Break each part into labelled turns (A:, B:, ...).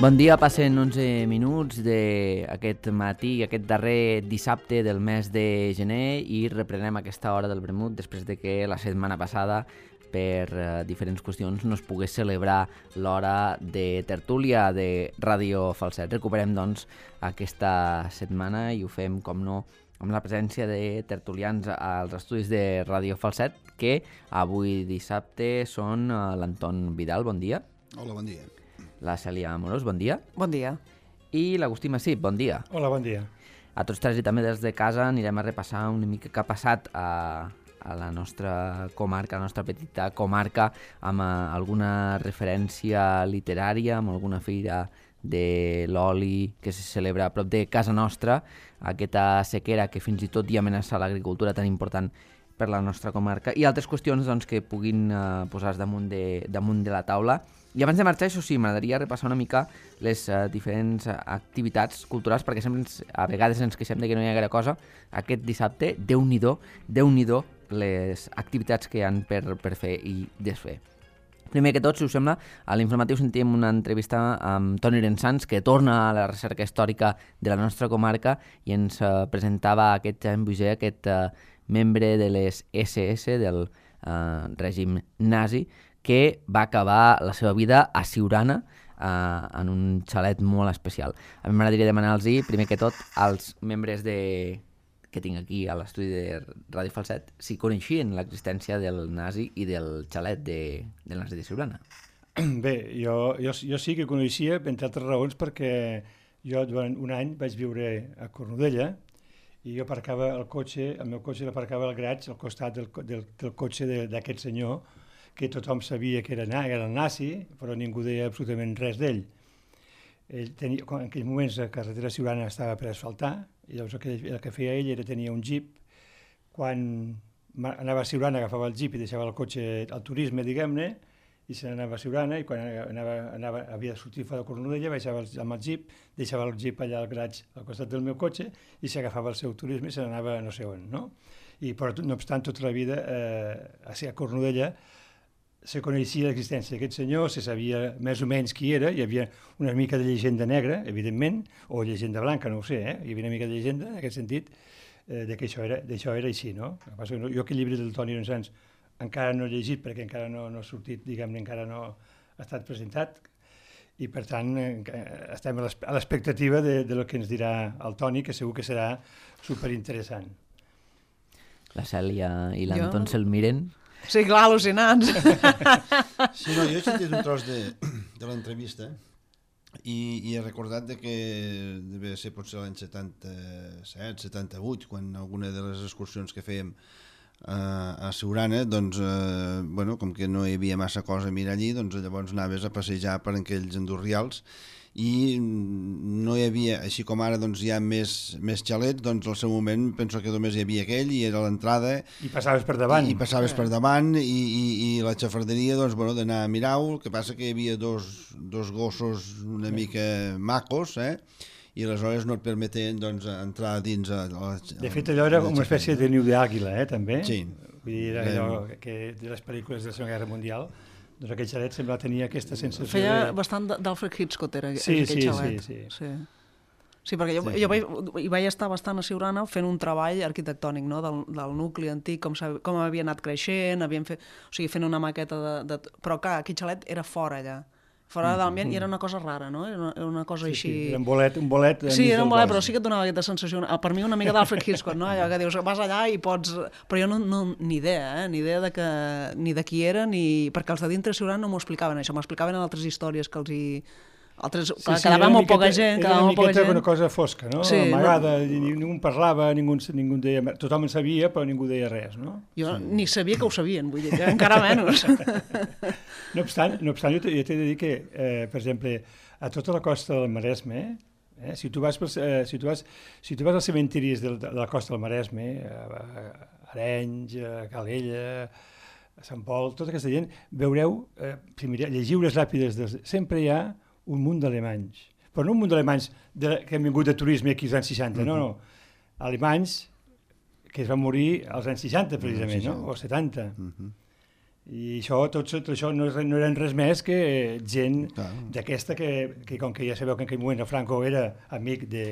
A: Bon dia, passen 11 minuts d'aquest matí, aquest darrer dissabte del mes de gener i reprenem aquesta hora del vermut després de que la setmana passada per diferents qüestions no es pogués celebrar l'hora de tertúlia de Ràdio Falset. Recuperem, doncs, aquesta setmana i ho fem, com no, amb la presència de tertulians als estudis de Ràdio Falset, que avui dissabte són l'Anton Vidal, bon dia.
B: Hola, bon dia.
A: La Cèlia Amorós, bon dia.
C: Bon dia.
A: I l'Agustí Massip, bon dia.
D: Hola, bon dia.
A: A tots tres i també des de casa anirem a repassar una mica què ha passat a la nostra comarca, a la nostra petita comarca, amb alguna referència literària, amb alguna fira de l'oli que se celebra a prop de casa nostra, aquesta sequera que fins i tot hi amenaça l'agricultura tan important per la nostra comarca, i altres qüestions doncs, que puguin posar-se damunt de la taula. I abans de marxar, això sí, m'agradaria repassar una mica les diferents activitats culturals, perquè sempre a vegades ens queixem de que no hi ha gaire cosa. Aquest dissabte, Déu-n'hi-do les activitats que hi ha per fer i desfer. Primer que tot, si us sembla, a l'informatiu sentim una entrevista amb Toni Rensans, que torna a la recerca històrica de la nostra comarca i ens presentava aquest Jean Buger, aquest membre de les SS, del règim nazi, que va acabar la seva vida a Siurana, en un xalet molt especial. A mi m'agradaria demanar-los, primer que tot, als membres que tinc aquí a l'estudi de Ràdio Falset, si coneixien l'existència del nazi i del xalet del nazi de Siurana.
D: Bé, jo sí que coneixia, entre altres raons, perquè jo durant un any vaig viure a Cornudella i jo aparcava el meu cotxe l'aparcava al graig al costat del cotxe d'aquest senyor, que tothom sabia que era el nazi, però ningú deia absolutament res d'ell. En aquells moments la carretera Siurana estava per asfaltar, i llavors el que feia ell era tenir un jeep. Quan anava a Siurana agafava el jeep i deixava el cotxe al turisme, diguem-ne, i se n'anava a Siurana, i quan havia de sortir fora de Cornudella, baixava amb el jeep, deixava el jeep allà al graig al costat del meu cotxe i s'agafava el seu turisme i se n'anava no sé on, no? Però no obstant, tota la vida a Cornudella se coneixia l'existència d'aquest senyor, se sabia més o menys qui era, hi havia una mica de llegenda negra, evidentment, o llegenda blanca, no ho sé, hi havia una mica de llegenda en aquest sentit, que això era així, no? Jo aquest llibre del Toni Rensans encara no he llegit perquè encara no ha sortit, diguem-ne, encara no ha estat presentat, i per tant estem a l'expectativa del que ens dirà el Toni, que segur que serà superinteressant.
A: La Cèlia i l'Anton se'l miren.
C: Sí, clar, al·lucinants.
B: Sí, no, jo he sentit un tros de l'entrevista i he recordat que devia ser potser l'any 77, 78, quan alguna de les excursions que fèiem a Siurana, doncs, com que no hi havia massa cosa a mirar allí, doncs llavors anaves a passejar per aquells endorrials i no hi havia, així com ara doncs, hi ha més xalets, doncs al seu moment penso que només hi havia aquell i era l'entrada
D: i passaves per davant
B: i la xafarderia doncs, d'anar a mirar-ho. El que passa que hi havia dos gossos una mica macos, i aleshores no et permeten doncs, entrar dins
D: de fet allò era una espècie de niu d'àguila, també.
B: Sí.
D: Vull dir, era allò que de les pel·lícules de la Segona Guerra Mundial, doncs aquell xalet sembla tenir aquesta sensació.
C: Feia bastant d'Alfred Hitchcock, era aquell xalet. Sí, perquè jo hi vaig estar bastant a Siurana fent un treball arquitectònic, no? del nucli antic, com havia anat creixent, fent una maqueta però clar, aquell xalet era fora allà. Fora de l'ambient, i era una cosa rara, no? Era una cosa així...
D: Sí, era un bolet...
C: Sí, era un bolet, però sí que et donava aquesta sensació, per mi una mica d'Alfred Hitchcock, no? Allò que dius, vas allà i pots... Però jo ni idea, ni idea ni de qui era, perquè els de dintre Siurana no m'ho explicaven, això, m'explicaven altres històries que els hi... Quedava molt poca gent,
D: era una miqueta una cosa fosca, no? Amagada, ningú en parlava, ningú en deia... Tothom en sabia, però ningú deia res, no?
C: Jo ni sabia que ho sabien, vull dir, que encara menys.
D: No obstant, jo t'he de dir que, per exemple, a tota la costa del Maresme, si tu vas als cementiris de la costa del Maresme, a Arenys, a Calella, a Sant Pol, tota aquesta gent, veureu, llegiu les làpides, sempre hi ha un munt d'alemanys, però no un munt d'alemanys que han vingut de turisme aquí als anys 60, no, alemanys que es van morir als anys 60 precisament, no? O 70. I això, tot això no eren res més que gent d'aquesta que com que ja sabeu que en aquell moment el Franco era amic de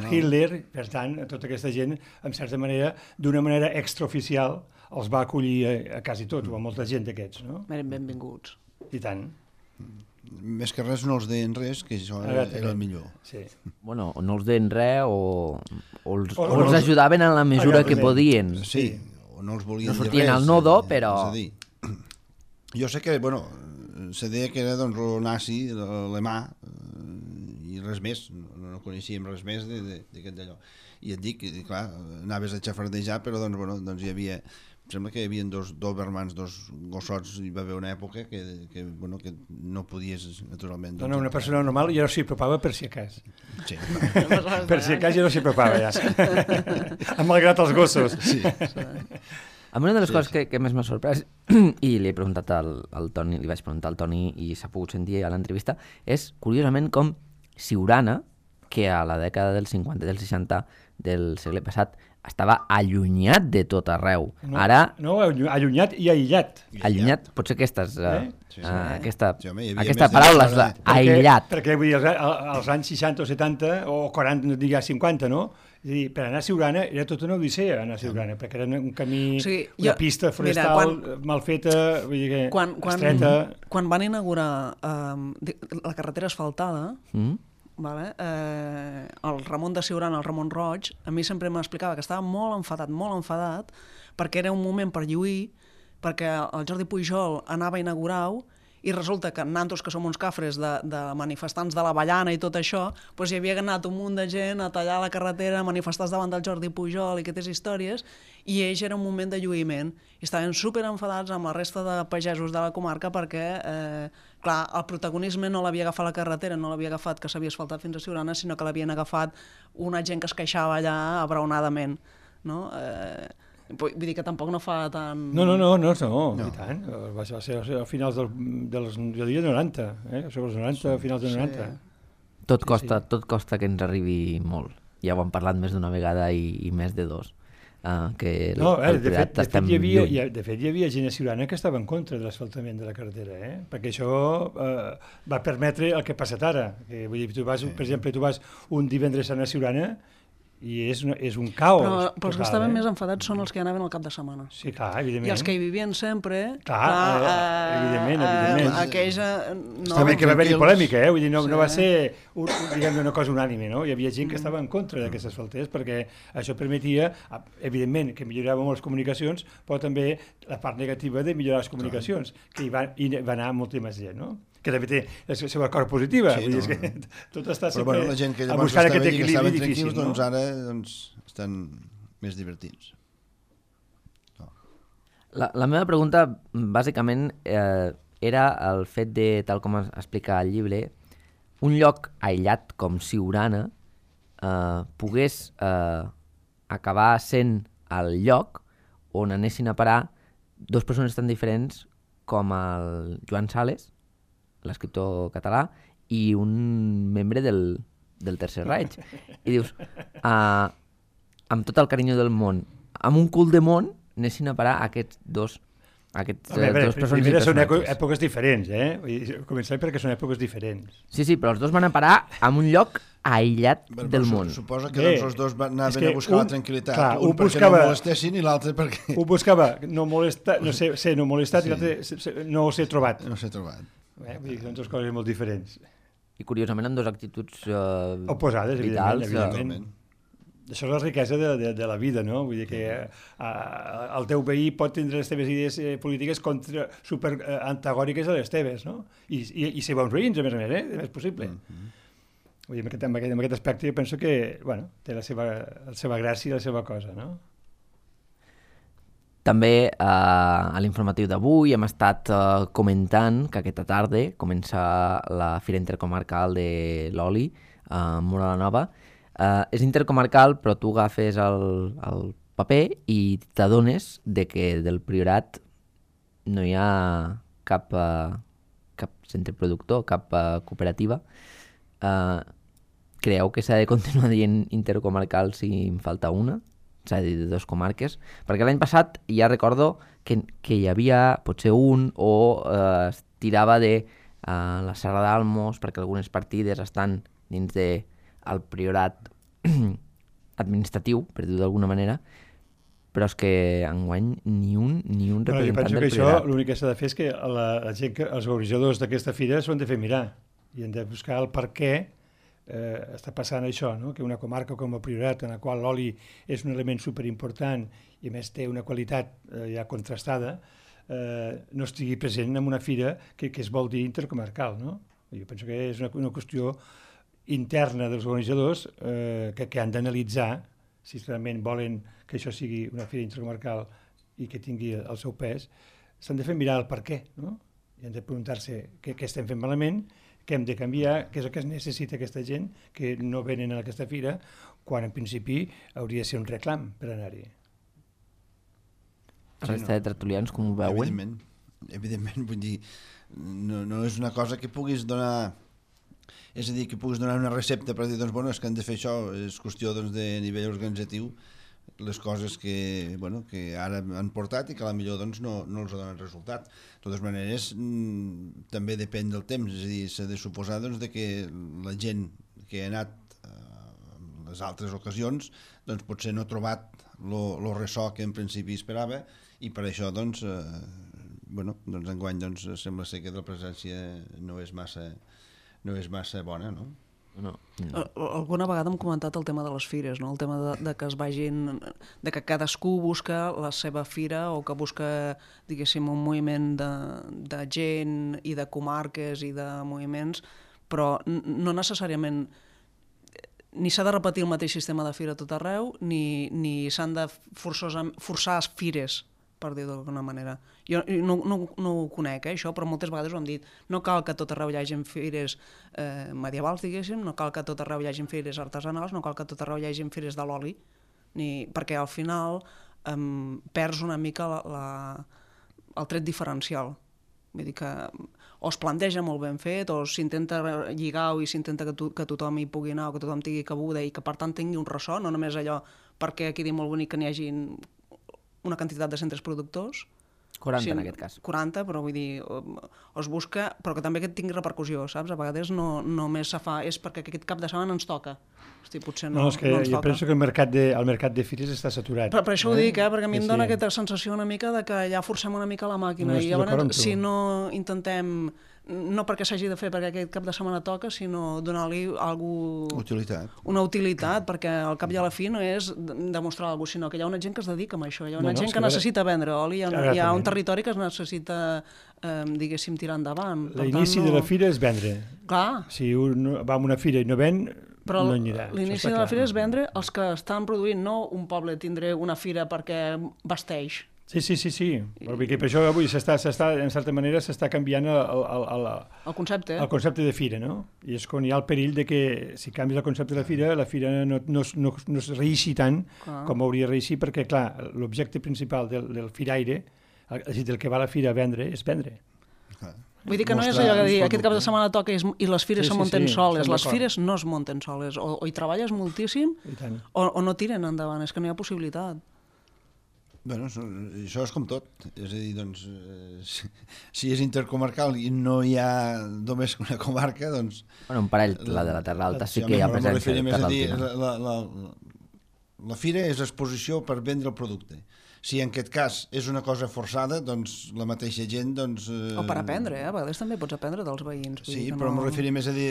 D: Hitler, per tant, tota aquesta gent, en certa manera, d'una manera extraoficial, els va acollir a quasi tots, o a molta gent d'aquests, no?
C: Eren benvinguts.
D: I tant.
B: Més que res no els deien res, que això era el millor.
D: Sí.
A: Bueno, no els deien res o els ajudaven en la mesura que podien.
B: Sí, o no els volien
A: no
B: dir res.
A: No sortien al nodo, però...
B: És a dir, jo sé que, bueno, se deia que era doncs, el nazi, l'alemà, i res més, no coneixíem res més d'aquest d'allò. I et dic, clar, anaves a xafardejar, però doncs, bueno, doncs hi havia... Sembla que hi havia dos dobermans, dos gossots, hi va haver una època que no podies, naturalment...
D: No, una persona normal ja no s'hi apropava per si acas.
B: Sí.
D: Per si acas ja no s'hi apropava, ja. Malgrat els gossos.
B: Sí.
A: A una de les coses que més m'ha sorprès, i li he preguntat al Toni, li vaig preguntar al Toni i s'ha pogut sentir a l'entrevista, és, curiosament, com Siurana, que a la dècada dels 50 i dels 60 del segle passat estava allunyat de tot arreu. Ara...
D: No, allunyat i aïllat.
A: Allunyat, potser aquestes... Aquesta
B: més
A: paraula és aïllat.
D: Perquè vull dir, als anys 60 o 70, o 40, digues 50, no? És a dir, per anar a Siurana era tota una odissea anar a Siurana, perquè era un camí, una pista forestal mal feta, vull dir que estreta...
C: Quan van inaugurar la carretera asfaltada, vale? El Ramon de Siurana, el Ramon Roig, a mi sempre m'explicava que estava molt enfadat, perquè era un moment per lluir, perquè el Jordi Pujol anava a inaugurar-ho, i resulta que nosaltres, que som uns cafres de manifestants de l'Avellana i tot això, doncs hi havia anat un munt de gent a tallar la carretera, manifestats davant del Jordi Pujol i aquestes històries, i ells era un moment de lluïment, i estaven super enfadats amb la resta de pagesos de la comarca perquè, clar, el protagonisme no l'havia agafat la carretera, no l'havia agafat que s'havia asfaltat fins a Siurana, sinó que l'havien agafat una gent que es queixava allà abraonadament, no? Vull dir que tampoc no fa tant...
D: No, i tant. Va ser a finals dels, jo diria, 90, sobre els 90, a finals dels 90.
A: Tot costa que ens arribi molt. Ja ho hem parlat més d'una vegada i més de dos.
D: De fet hi havia gent a Siurana que estava en contra de l'asfaltament de la carretera, perquè això va permetre el que ha passat ara. Vull dir, per exemple, tu vas un divendres a Siurana i és un caos.
C: Però els que estaven més enfadats són els que anaven al cap de setmana.
D: Sí, clar, evidentment.
C: I els que hi vivien sempre...
D: Evidentment.
C: Aquells...
D: Està bé que va haver-hi polèmica, vull dir, no va ser una cosa unànime, no? Hi havia gent que estava en contra d'aquestes asfaltés perquè això permetia, evidentment, que millorava molt les comunicacions, però també la part negativa de millorar les comunicacions, que hi va anar molta més gent, no? Que també té la seva cosa positiva.
B: Sí,
D: vull dir, que tot està sempre
B: però, bueno, la gent que llavors
D: buscar
B: aquest
D: equilibri difícil, no?
B: Doncs ara estan més divertits.
A: La meva pregunta, bàsicament, era el fet de, tal com explica el llibre, un lloc aïllat com Siurana pogués acabar sent el lloc on anessin a parar dues persones tan diferents com el Joan Sales, l'escriptor català, i un membre del Tercer Reich. I dius, amb tot el carinyo del món, amb un cul de món, anessin a parar aquests dos persones i personatges.
D: Són èpoques diferents, Començarem perquè són èpoques diferents.
A: Sí, però els dos van a parar en un lloc aïllat del món.
B: Suposa que doncs, els dos anaven a buscar la tranquil·litat.
D: Clar,
B: un perquè no molestessin i l'altre perquè...
D: Un buscava no molestar, ser no molestat, i l'altre no ser trobat.
B: No ser trobat.
D: Vull dir que són dues coses molt diferents.
A: I curiosament amb dues actituds
D: oposades,
A: vitals.
D: Evidentment. Això és la riquesa de la vida, no? Vull dir que el teu veí pot tindre les teves idees polítiques super antagòniques a les teves, no? I ser bons veïns, a més, és possible. Vull dir, en aquest aspecte jo penso que, té la seva gràcia i la seva cosa, no?
A: També a l'informatiu d'avui hem estat comentant que aquesta tarda comença la Fira Intercomarcal de l'Oli a Móra la Nova. És intercomarcal, però tu agafes el paper i t'adones de que del Priorat no hi ha cap centre productor, cap cooperativa. Creieu que s'ha de continuar dient intercomarcal si en falta una? s'ha de dir, de 2 comarques, perquè l'any passat ja recordo que hi havia potser un o es tirava de la Serra d'Almos, perquè algunes partides estan dins del priorat administratiu, per dir-ho d'alguna manera, però és que enguany ni un representant del priorat.
D: Jo penso que això l'únic que s'ha de fer és que la gent, els organitzadors d'aquesta fira s'ho han de fer mirar i han de buscar el per què està passant això, no? Que una comarca com el Priorat, en la qual l'oli és un element superimportant i a més té una qualitat ja contrastada, no estigui present en una fira que es vol dir intercomarcal, no? Jo penso que és una qüestió interna dels organitzadors que han d'analitzar si realment volen que això sigui una fira intercomarcal i que tingui el seu pes. S'han de fer mirar el per què, no? I han de preguntar-se què estem fent malament, què hem de canviar, què és el que es necessita aquesta gent que no venen a aquesta fira, quan en principi hauria de ser un reclam per anar-hi.
A: La resta de tertulians com ho veuen?
B: Evidentment, vull dir, no és una cosa que puguis donar, és a dir, que puguis donar una recepta per dir, doncs, bueno, és que han de fer això, és qüestió doncs, de nivell organitzatiu, les coses que ara han portat i que a la millor doncs, no els donen resultat. De totes maneres, també depèn del temps, és a dir, s'ha de suposar doncs, que la gent que ha anat en les altres ocasions doncs, potser no ha trobat el ressò que en principi esperava i per això doncs, enguany doncs, sembla ser que la presència no és massa bona, no?
A: No.
C: Alguna vegada hem comentat el tema de les fires, no? El tema de que es vagin, de que cadascú busca la seva fira o que busca, diguéssim, un moviment de gent i de comarques i de moviments, però no necessàriament ni s'ha de repetir el mateix sistema de fira a tot arreu, ni s'han de forçar fires, per dir-ho d'alguna manera. Jo no ho conec, això, però moltes vegades ho hem dit. No cal que a tot arreu hi hagi fires medievals, diguéssim, no cal que a tot arreu hi hagi fires artesanals, no cal que a tot arreu hi hagi fires de l'oli, perquè al final perds una mica el tret diferencial. Vull dir que o es planteja molt ben fet, o s'intenta lligar i s'intenta que tothom hi pugui anar, o que tothom tingui cabuda i que per tant tingui un ressò, no només allò perquè quedi molt bonic que n'hi hagi una quantitat de centres productors.
A: 40 en aquest cas.
C: 40, però vull dir, es busca, però que també que tingui repercussió, saps? A vegades no només se fa, és perquè aquest cap de setmana ens toca. Hosti, potser no ens toca.
D: No, és que jo penso que el mercat de fires està saturat.
C: Per això ho dic, perquè a mi em dona aquesta sensació una mica de que ja forcem una mica la màquina. I llavors, si no intentem, no perquè s'hagi de fer perquè aquest cap de setmana toca, sinó donar-li una utilitat, perquè al cap i a la fi no és demostrar alguna cosa, sinó que hi ha una gent que es dedica a això, hi ha una gent que necessita vendre oli, hi ha un territori que es necessita, diguéssim, tirar endavant.
D: L'inici de la fira és vendre.
C: Clar.
D: Si un va a una fira i no ven, no anirà.
C: L'inici de la fira és vendre els que estan produint, no un poble tindré una fira perquè vesteix.
D: Sí. Perquè per això avui en certa manera s'està canviant
C: el
D: concepte de fira, no? I és quan hi ha el perill de que si canvies el concepte de la fira no es reeixi tant com hauria de reeixir, perquè, clar, l'objecte principal del firaire, del que va a la fira a vendre, és vendre.
C: Vull dir que no és allò que dir, aquest cap de setmana toca i les fires se munten soles. Les fires no es munten soles. O hi treballes moltíssim o no tiren endavant. És que no hi ha possibilitat.
B: Bueno, això és com tot. És a dir, doncs, si és intercomarcal i no hi ha només una comarca, doncs...
A: Bueno, un parell, la de la Terra Alta sí que hi ha presència de Terra
B: Alta. La fira és exposició per vendre el producte. Si en aquest cas és una cosa forçada, doncs la mateixa gent...
C: O per aprendre, a vegades també pots aprendre dels veïns.
B: Sí, però m'ho referia més a dir,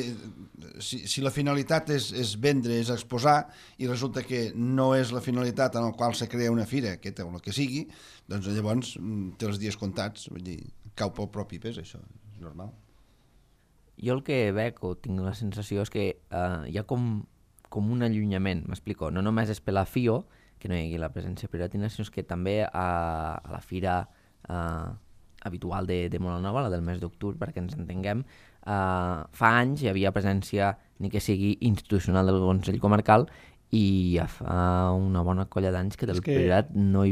B: si la finalitat és vendre, és exposar, i resulta que no és la finalitat en la qual se crea una fira, aquesta o la que sigui, doncs llavors té els dies comptats, vull dir, cau pel propi pes, això és normal.
A: Jo el que veig, o tinc la sensació, és que hi ha com un allunyament, m'explico, no només és per la FIO, que no hi hagi la presència piratina, sinó que també a la fira habitual de Molanova, la del mes d'octubre, perquè ens entenguem, fa anys hi havia presència, ni que sigui institucional del Consell Comarcal, i ja fa una bona colla d'anys que del Priorat no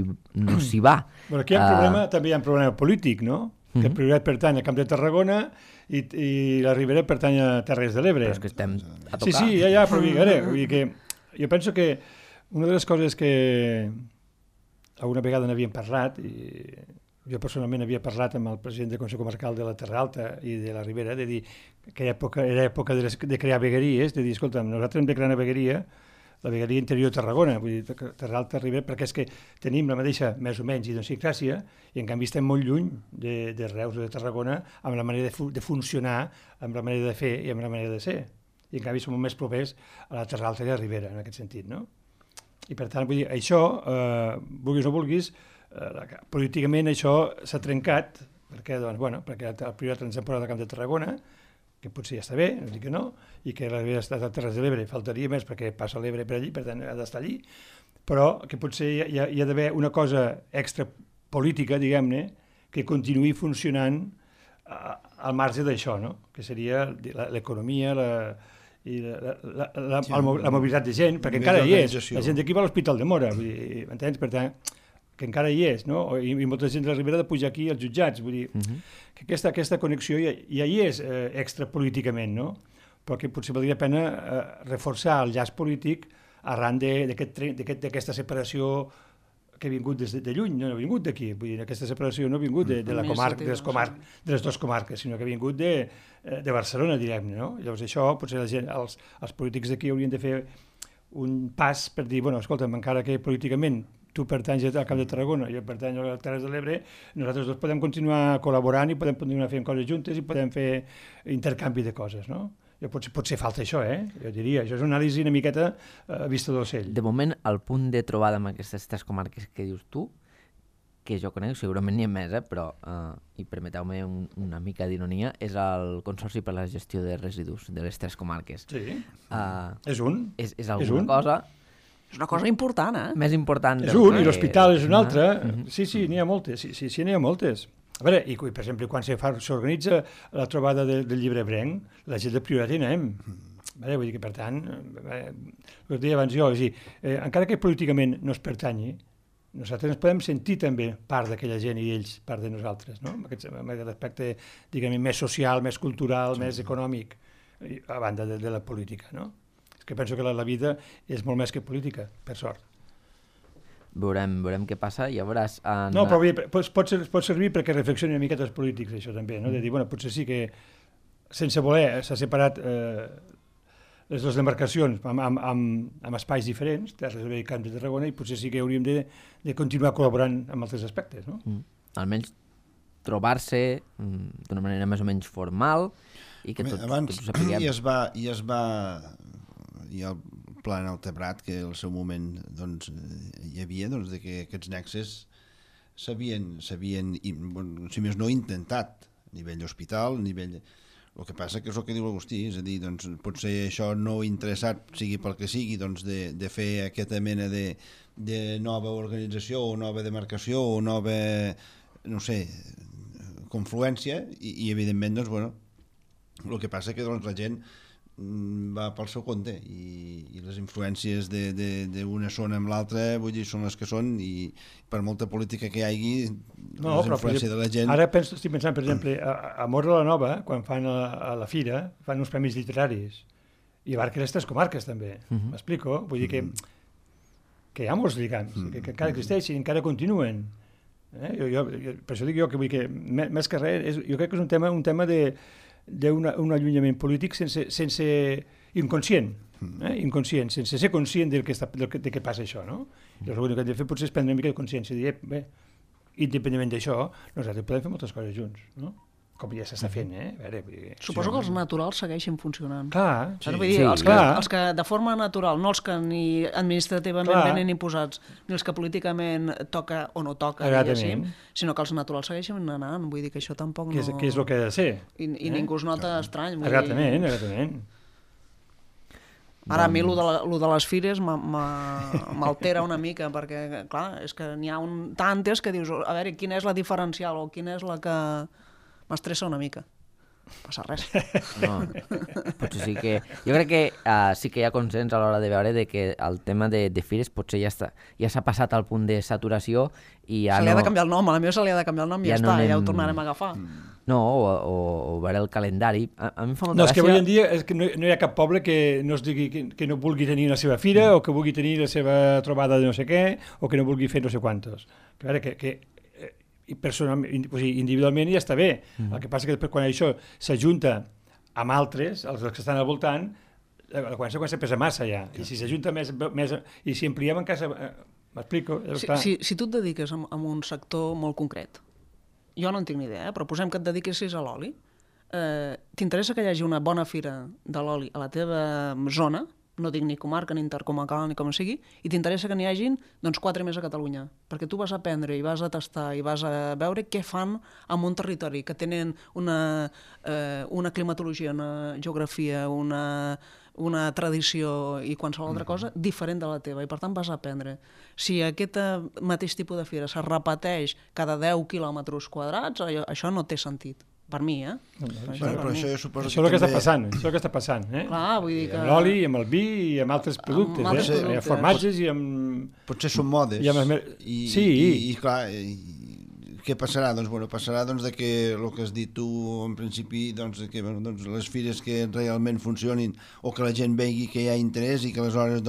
A: s'hi va.
D: Però aquí també hi ha un problema polític, no? Que el Priorat pertany al Camp de Tarragona i la Ribera pertany a Terres de l'Ebre.
A: Però és que estem a tocar.
D: Sí, ja, però vull dir que jo penso que Una de les coses que alguna vegada n'havíem parlat, i jo personalment havia parlat amb el president del Consell Comarcal de la Terra Alta i de la Ribera, de dir que era època de crear vegueries, de dir, escolta, nosaltres hem de crear una vegueria, la vegueria interior de Tarragona, vull dir, Terra Alta, Ribera, perquè és que tenim la mateixa, més o menys, idiosincràsia, i en canvi estem molt lluny de Reus o de Tarragona amb la manera de funcionar, amb la manera de fer i amb la manera de ser. I en canvi som molt més propers a la Terra Alta i a la Ribera, en aquest sentit, no? I per tant, vull dir, això, vulguis o no vulguis, políticament això s'ha trencat, perquè, doncs, bueno, perquè el primer temporada de Camp de Tarragona, que potser ja està bé, no dic que no, i que la Ribera està a Terres de l'Ebre, faltaria més perquè passa l'Ebre per allí, per tant ha d'estar allí, però que potser hi ha d'haver una cosa extra política, diguem-ne, que continuï funcionant al marge d'això, no? Que seria l'economia, la mobilitat de gent, perquè encara hi és, la gent d'aquí va a l'Hospital de Mora, m'entens? Per tant, que encara hi és, no? I molta gent de la Ribera ha de pujar aquí als jutjats, vull dir, que aquesta connexió ja hi és extrapolíticament, no? Però que potser valdria la pena reforçar el llaç polític arran d'aquesta separació que ha vingut des de lluny, no ha vingut d'aquí, vull dir, aquesta separació no ha vingut de la comarca, de les dues comarques, sinó que ha vingut de Barcelona, direm-ne, no? Llavors això, potser la gent, els polítics d'aquí haurien de fer un pas per dir, bueno, escolta'm, encara que políticament tu pertanys al Camp de Tarragona, jo pertanyo a les Terres de l'Ebre, nosaltres dos podem continuar col·laborant i podem continuar fent coses juntes i podem fer intercanvi de coses, no? Potser falta això, jo diria. Això és una anàlisi una miqueta vista d'ocell.
A: De moment, el punt de trobada amb aquestes tres comarques que dius tu, que jo conec, segurament n'hi ha més, però, i permeteu-me una mica d'ironia, és el Consorci per la Gestió de Residus de les tres comarques.
D: Sí, és un.
A: És alguna cosa...
C: És una cosa important,
A: Més important.
D: És un, i l'hospital és un altre. Sí, n'hi ha moltes. Sí, n'hi ha moltes. A veure, i per exemple, quan s'organitza la trobada del llibre Brenc, la gent del Priorat hi anem. Vull dir que, per tant, el que deia abans jo, és a dir, encara que políticament no es pertanyi, nosaltres ens podem sentir també part d'aquella gent i ells part de nosaltres, no? Amb aquest aspecte, diguem, més social, més cultural, més econòmic, a banda de la política, no? Que penso que la vida és molt més que política, per sort.
A: Veurem què passa, ja veuràs...
D: No, però pot servir perquè reflexioni una miqueta els polítics, això també, no? De dir, bueno, potser sí que sense voler s'ha separat les dues demarcacions amb espais diferents, Terres de l'Ebre i Camp de Tarragona, i potser sí que hauríem de continuar col·laborant amb altres aspectes, no?
A: Almenys trobar-se d'una manera més o menys formal i que tots ho sapiguem.
B: Hi ha el pla en el Tebrat, que al seu moment doncs, hi havia de que aquests nexes s'havien si més no, intentat a nivell hospital, a nivell... El que passa que és el que diu l'Agustí, és a dir, doncs, potser això no interessat, sigui pel que sigui, doncs, de fer aquesta mena de nova organització o nova demarcació o nova, no sé, confluència, i evidentment, doncs, bueno, el que passa que doncs, la gent va pel seu compte i les influències d'una zona amb l'altra, vull dir, són les que són, i per molta política que hi hagi, les influències de la gent...
D: Ara estic pensant, per exemple, a Móra la Nova, quan fan a la fira, fan uns premis literaris, i abarquen les tres comarques també, m'explico? Vull dir que hi ha molts lligams, que encara existeixen, encara continuen. Per això dic jo que més que res, jo crec que és un tema d'un allunyament polític sense inconscient, sense ser conscient de què passa això, no? Llavors, el que hem de fer potser és prendre una mica de consciència i dir, bé, independentment d'això, nosaltres podem fer moltes coses junts, no? Com ja s'està fent,
C: Suposo que els naturals segueixen funcionant.
D: Clar,
C: els que de forma natural, no els que ni administrativament venen imposats, ni els que políticament toca o no toca, diguéssim, sinó que els naturals segueixen anant. Vull dir que això tampoc no...
D: Que és el que ha de ser.
C: I ningú es nota estrany.
D: Exactament.
C: Ara a mi el de les fires m'altera una mica, perquè, clar, és que n'hi ha tantes que dius, a veure, quina és la diferencial o quina és la que... m'estressa una mica. passa res.
A: No, potser sí que... Jo crec que sí que hi ha consens a l'hora de veure de que el tema de fires potser ja s'ha passat al punt de saturació i ja
C: Se li ha de canviar el nom, a la meva se li ha de canviar el nom i ja està, ja ho tornarem a agafar.
A: No, o veure el calendari. A mi em fa molta
D: gràcia... No, és que avui en dia no hi ha cap poble que no es digui que no vulgui tenir la seva fira o que vulgui tenir la seva trobada de no sé què o que no vulgui fer no sé quantos. A veure, que personalment, o sigui, individualment ja està bé. El que passa que després quan això s'ajunta amb altres, els que estan al voltant, la conseqüència pesa massa ja. I si s'ajunta més i si ampliem en casa... M'explico?
C: Si tu et dediques a un sector molt concret, jo no en tinc ni idea, però posem que et dediquessis a l'oli, t'interessa que hi hagi una bona fira de l'oli a la teva zona, no dic ni comarca, ni intercomarcal, ni com sigui, i t'interessa que n'hi hagin 4 més a Catalunya, perquè tu vas a aprendre i vas a tastar i vas a veure què fan en un territori que tenen una climatologia, una geografia, una tradició i qualsevol altra cosa diferent de la teva, i per tant vas a aprendre. Si aquest mateix tipus de fira se repeteix cada 10 quilòmetres quadrats, això no té sentit. Per mi,
B: Però això jo suposo
D: això és el que està passant, això és el que està passant,
C: Clar, vull dir que...
D: Amb l'oli, amb el vi i amb altres productes, amb formatges i amb...
B: Potser són modes.
D: Sí.
B: I clar, què passarà? Doncs passarà de que el que has dit tu en principi, que les fires que realment funcionin o que la gent vegi que hi ha interès i que aleshores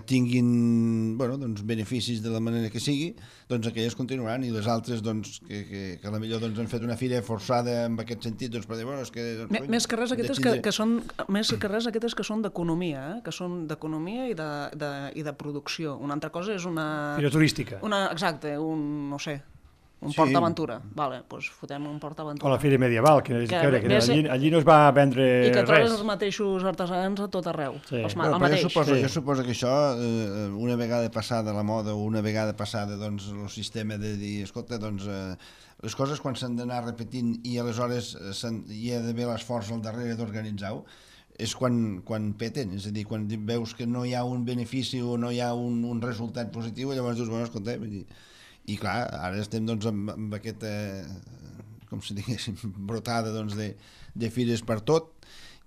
B: tinguin beneficis de la manera que sigui, aquelles continuaran, i les altres que a la millor han fet una fira forçada en aquest sentit, per dir, és que...
C: Més que res aquestes que són d'economia, que són d'economia i de producció. Una altra cosa és una...
D: Fira turística.
C: Exacte, no sé, un PortAventura. Vale, doncs fotem un PortAventura.
D: O la Fira Medieval, que allí no es va vendre res.
C: I que trobes els mateixos artesans a tot arreu.
B: Jo suposo que això, una vegada passada la moda o una vegada passada el sistema de dir, escolta, les coses quan s'han d'anar repetint i aleshores hi ha d'haver l'esforç al darrere d'organitzar-ho, és quan peten, és a dir, quan veus que no hi ha un benefici o no hi ha un resultat positiu, llavors dius, escolta, i clar, ara estem amb aquesta, com si diguéssim, brotada de fires per tot,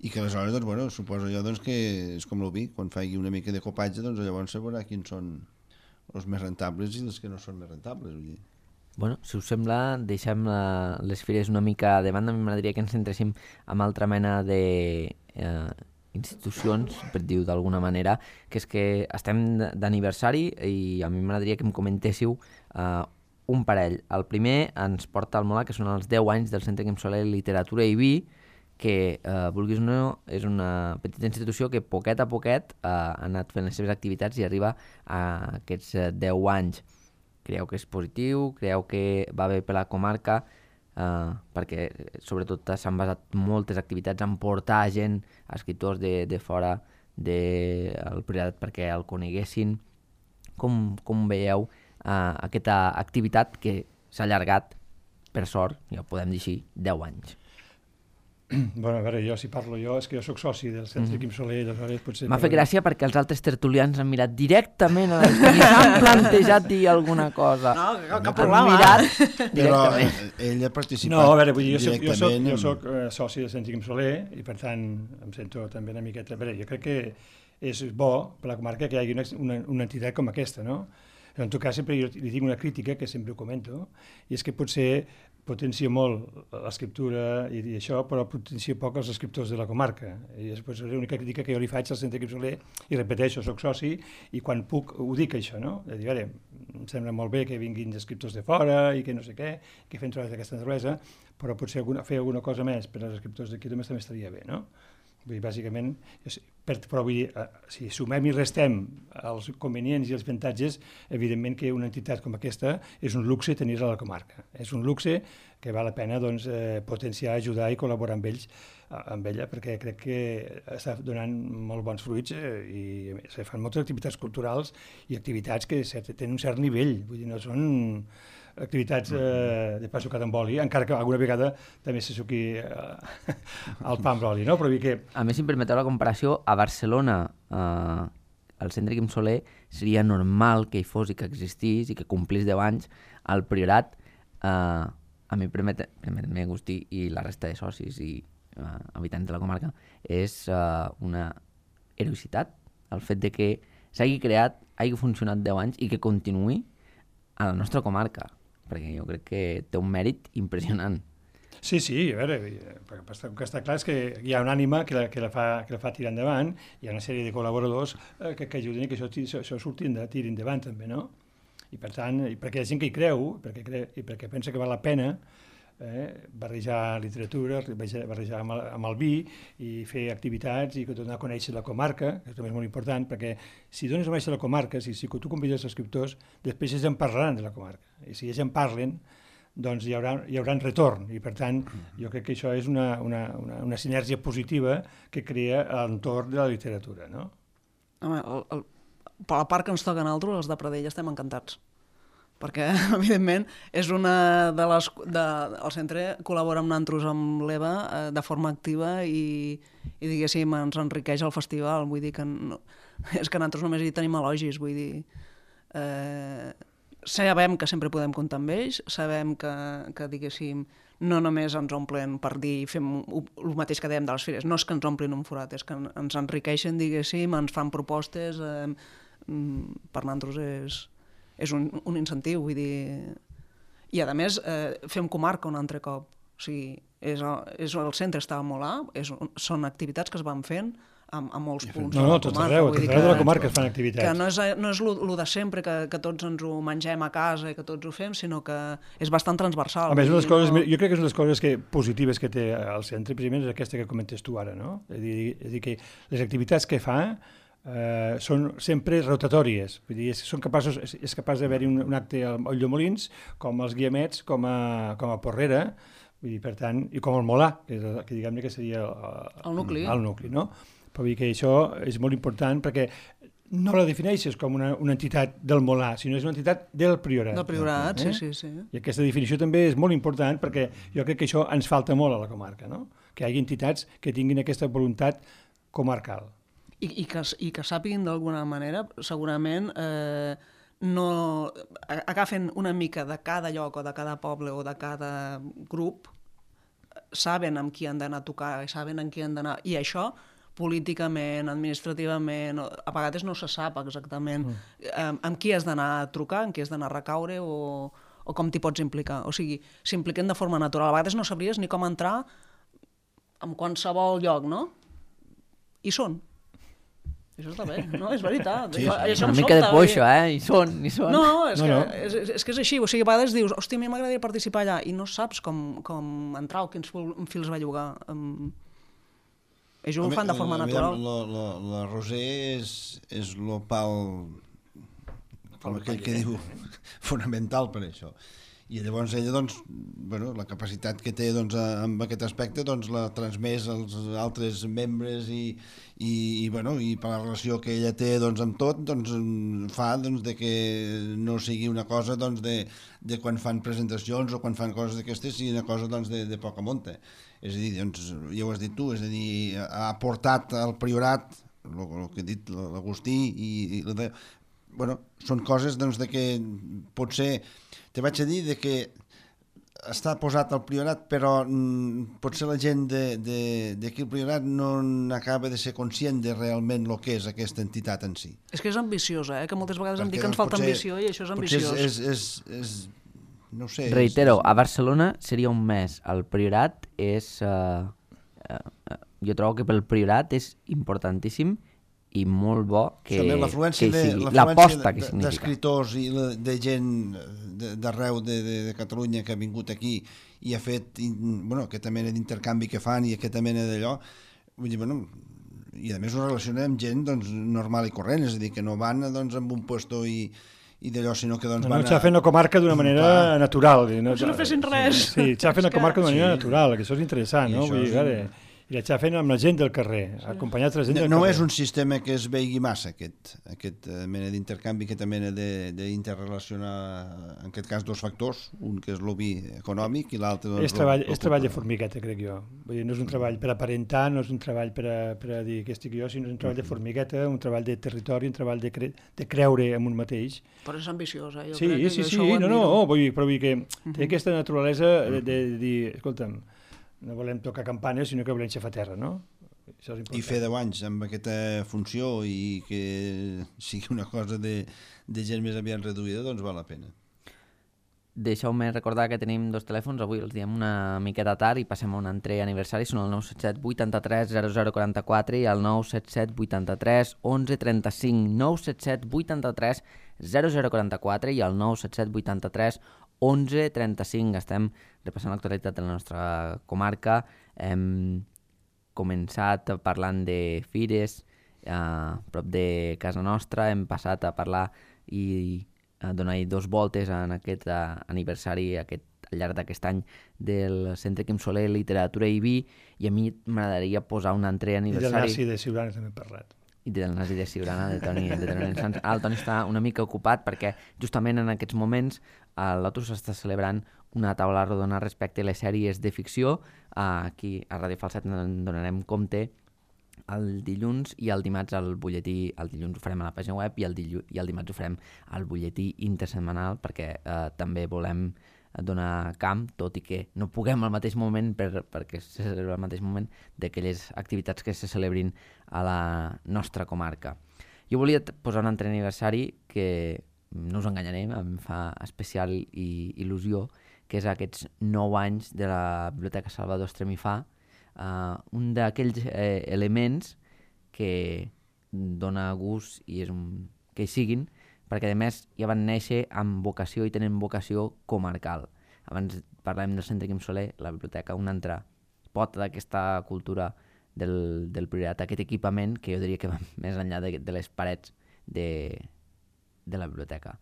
B: i que aleshores, suposo jo que és com el vi, quan faci una mica de copatge, llavors se veurà quins són els més rentables i els que no són més rentables.
A: Bueno, si us sembla, deixem les fires una mica de banda. A mi m'agradaria que ens centréssim en altra mena de institucions, per dir-ho d'alguna manera, que és que estem d'aniversari i a mi m'agradaria que em comentéssiu un parell. El primer ens porta al Molar, que són els 10 anys del Centre Quim Soler Literatura i Vi, que, vulguis o no, és una petita institució que poquet a poquet ha anat fent les seves activitats i arriba a aquests 10 anys. Creieu que és positiu? Creieu que va bé per la comarca? Perquè sobretot s'han basat moltes activitats en portar gent, escriptors de fora del Priorat perquè el coneguessin. Com veieu aquesta activitat que s'ha allargat, per sort, ja ho podem dir així, 10 anys?
D: Bueno, a veure, si parlo jo, és que jo soc soci del Centre Quim Soler, aleshores potser...
A: M'ha fet gràcia perquè els altres tertulians han mirat directament a les i s'han plantejat dir alguna cosa.
C: No, cap problema.
B: Però ell ha participat.
D: No, a veure, vull dir, jo soc soci del Centre Quim Soler i per tant em sento també una miqueta... A veure, jo crec que és bo per la comarca que hi hagi una entitat com aquesta, no? En tot cas, sempre jo li tinc una crítica, que sempre ho comento, i és que potser potencia molt l'escriptura i això, però potencia poc els escriptors de la comarca. I és l'única crítica que jo li faig al Centre Quim Soler, i repeteixo, soc soci, i quan puc ho dic això, no? De dir, em sembla molt bé que vinguin escriptors de fora i que no sé què, que fem treballs d'aquesta naturalesa, però potser fer alguna cosa més per als escriptors d'aquí també estaria bé, no? Vull dir, bàsicament, però vull dir, si sumem i restem els convenients i els avantatges, evidentment que una entitat com aquesta és un luxe tenir-la a la comarca. És un luxe que val la pena potenciar, ajudar i col·laborar amb ella, perquè crec que està donant molt bons fruits i se fan moltes activitats culturals i activitats que tenen un cert nivell, vull dir, no són activitats de pa sucat amb oli, encara que alguna vegada també se suqui el pa amb oli, no? Però que...
A: A més, si em permeteu la comparació, a Barcelona, al Centre Quim Soler, seria normal que hi fos i que existís i que complís 10 anys. Al Priorat a mi permet-me, Agustí, i la resta de socis i habitants de la comarca, és una heroïcitat el fet de que s'hagi creat, hagi funcionat 10 anys i que continuï a la nostra comarca, perquè jo crec que té un mèrit impressionant.
D: Sí, a veure, el que està clar és que hi ha una ànima que la fa tirar endavant, hi ha una sèrie de col·laboradors que ajuden que això tiri endavant també, no? I per tant, perquè hi ha gent que hi creu, i perquè pensa que val la pena barrejar literatura, barrejar amb el vi i fer activitats i donar a conèixer la comarca, que també és molt important, perquè si dones a conèixer la comarca, si tu convides els escriptors, després ells en parlaran de la comarca. I si ells en parlen, doncs hi haurà retorn. I per tant, jo crec que això és una sinergia positiva que crea a l'entorn de la literatura, no?
C: Home, per la part que ens toca a nosaltres, els de Pradell, estem encantats. Perquè, evidentment, és una de les... El centre col·labora amb nosaltres, amb l'EVA, de forma activa i diguéssim, ens enriqueix el festival. Vull dir que és que nosaltres només hi tenim elogis, vull dir... Sabem que sempre podem comptar amb ells, sabem que diguéssim, no només ens omplen per dir, fem el mateix que dèiem de les fires, no és que ens omplin un forat, és que ens enriqueixen, diguéssim, ens fan propostes, per nosaltres és un incentiu, vull dir... I a més, fem comarca un altre cop, o sigui, el centre estava molt alt, són activitats que es van fent a molts punts de la comarca.
D: Tot arreu de la comarca es fan activitats.
C: Que no és el de sempre, que tots ens ho mengem a casa i que tots ho fem, sinó que és bastant transversal.
D: A més, jo crec que és una de les coses positives que té el centre, precisament, és aquesta que comentes tu ara, no? És dir, que les activitats que fa són sempre rotatòries, vull dir, és capaç d'haver-hi un acte al Ulldemolins, com els Guiamets, com a Porrera, vull dir, per tant, i com el Molà, que diguem-ne que seria
C: el nucli,
D: no? Però vull dir que això és molt important perquè no la defineixes com una entitat del Molà, sinó és una entitat del Priorat.
C: Del Priorat, sí.
D: I aquesta definició també és molt important perquè jo crec que això ens falta molt a la comarca, no? Que hi hagi entitats que tinguin aquesta voluntat comarcal.
C: I que sàpiguin d'alguna manera, segurament, no agafen una mica de cada lloc o de cada poble o de cada grup, saben amb qui han d'anar a tocar, saben amb qui han d'anar... I això, políticament, administrativament, a vegades no se sap exactament amb qui has d'anar a trucar, amb qui has d'anar a recaure o com t'hi pots implicar. O sigui, s'impliquen de forma natural. A vegades no sabries ni com entrar en qualsevol lloc, no? I són. Això està bé, no? És veritat.
B: Sí.
A: Una mica de poixo, Hi són.
C: No, és que és així. O sigui, a vegades dius, hòstia, a mi m'agradaria participar allà, i no saps com entrar o quins fils va llogar. Ells ho fan de forma natural.
B: La Roser és l'opal, com aquell que diu, fonamental per això. I llavors ella, doncs, la capacitat que té en aquest aspecte la transmès als altres membres i per la relació que ella té amb tot, fa de que no sigui una cosa de quan fan presentacions o quan fan coses d'aquestes, sigui una cosa de poca monta. És a dir, ja ho has dit tu, és a dir, ha aportat al Priorat, el que ha dit l'Agustí, són coses de que potser, te vaig a dir que està posat al Priorat, però potser la gent d'aquí al Priorat no acaba de ser conscient de realment el que és aquesta entitat en si.
C: És que és ambiciosa, que moltes vegades em dic que ens falta ambició i això és ambiciós.
B: Potser és no sé...
A: Reitero, a Barcelona seria un mes. El Priorat és... jo trobo que pel Priorat és importantíssim i molt bo que sigui l'aposta que significa.
B: D'escriptors i de gent d'arreu de Catalunya que ha vingut aquí i ha fet aquesta mena d'intercanvi que fan i aquesta mena d'allò, vull dir, i a més ho relaciona amb gent normal i corrent, és a dir, que no van amb un puesto i d'allò, sinó que van
D: s'ha fet la comarca d'una manera natural.
C: No fessin res.
D: Sí, s'ha fet la comarca d'una manera natural, que això és interessant, no? Vull dir, i l'està fent amb la gent del carrer, acompanyat de la gent del carrer.
B: No és un sistema que es vegi massa, aquest mena d'intercanvi, aquesta mena d'interrelacionar, en aquest cas, dos factors, un que és l'obi econòmic i l'altre...
D: És treball de formigueta, crec jo. Vull dir, no és un treball per aparentar, no és un treball per a dir que estic jo, sinó és un treball de formigueta, un treball de territori, un treball de creure en un mateix.
C: Però és ambiciós, jo
D: crec que això ho admiro. Vull dir que té aquesta naturalesa de dir, escolta'm, no volem tocar campanes, sinó que volem xafar terra, no?
B: I fer 10 anys amb aquesta funció i que sigui una cosa de gent més aviat reduïda, doncs val la pena.
A: Deixeu-me recordar que tenim dos telèfons, avui els diem una miqueta tard i passem a un altre aniversari, són el 977 83 0044 i el 977 83 11 35, 977 83 0044 i el 977 83 11 35. Estem repassant l'actualitat de la nostra comarca. Hem començat parlant de fires a prop de casa nostra, hem passat a parlar i a donar-hi 2 voltes en aquest aniversari al llarg d'aquest any del Centre Quim Soler, Literatura i Vi, i a mi m'agradaria posar un altre aniversari...
D: I del Nasi de Siurana també hem parlat.
A: I del Nasi de Siurana, de Toni Sans. El Toni està una mica ocupat perquè justament en aquests moments a Lotus s'està celebrant una taula rodona respecte a les sèries de ficció. Aquí a Ràdio Falset en donarem compte el dilluns i el dimarts al butlletí. El dilluns ho farem a la pàgina web i el dimarts ho farem al butlletí intersetmanal perquè també volem donar camp, tot i que no puguem al mateix moment perquè se celebra al mateix moment d'aquelles activitats que se celebrin a la nostra comarca. Jo volia posar un altre aniversari que, no us enganyaré, em fa especial il·lusió, que és aquests 9 anys de la Biblioteca Salvador Estremifà, un d'aquells elements que dona gust i és que hi siguin, perquè a més ja van néixer amb vocació i tenen vocació comarcal. Abans parlàvem del Centre Quim Soler, la biblioteca, una altra pota d'aquesta cultura del Priorat, aquest equipament que jo diria que va més enllà de les parets de la biblioteca.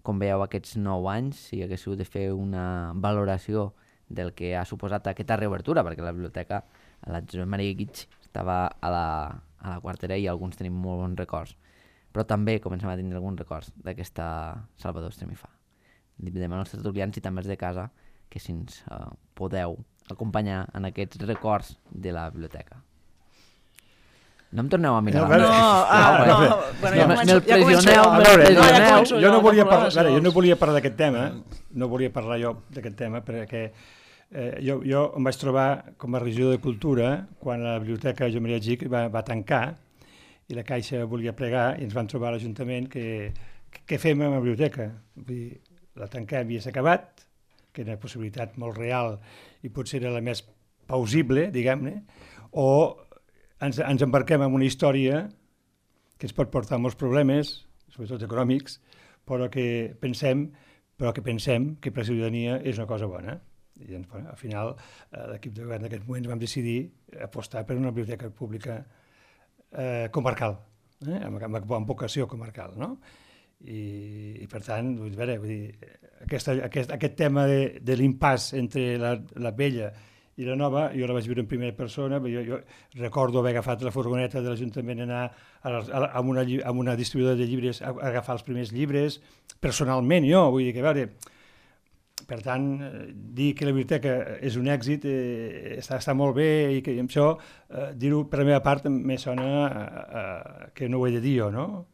A: Com veieu, aquests 9 anys, si haguéssiu de fer una valoració del que ha suposat aquesta reobertura, perquè la biblioteca, la Josep Maria Guig, estava a la quartera i alguns tenim molt bons records. Però també comencem a tindre alguns records d'aquesta Salvador Estremifà. Demanem als tertulians i també als de casa que si ens podeu acompanyar en aquests records de la biblioteca. No em torneu a mirar. Me'l pressioneu.
D: Jo no volia parlar d'aquest tema, perquè jo em vaig trobar com a regidor de Cultura quan la biblioteca Josep Maria Gig va tancar i la Caixa volia plegar i ens van trobar a l'Ajuntament que què fem amb la biblioteca? Vull dir, la tanquem i s'ha acabat, que era una possibilitat molt real i potser era la més plausible, diguem-ne, o ens embarquem en una història que ens pot portar molts problemes, sobretot econòmics, però que pensem que per la ciutadania és una cosa bona. I al final l'equip de govern d'aquest moment vam decidir apostar per una biblioteca pública comarcal, amb vocació comarcal, no? I per tant, aquest tema de l'impàs entre la vella i la nova, jo la vaig viure en primera persona, jo recordo haver agafat la furgoneta de l'Ajuntament, anar a una distribuïdora de llibres a agafar els primers llibres, personalment jo, vull dir que, a veure, per tant, dir que la biblioteca és un èxit està molt bé i que això, dir-ho per la meva part, me sona que no ho he de dir jo, no?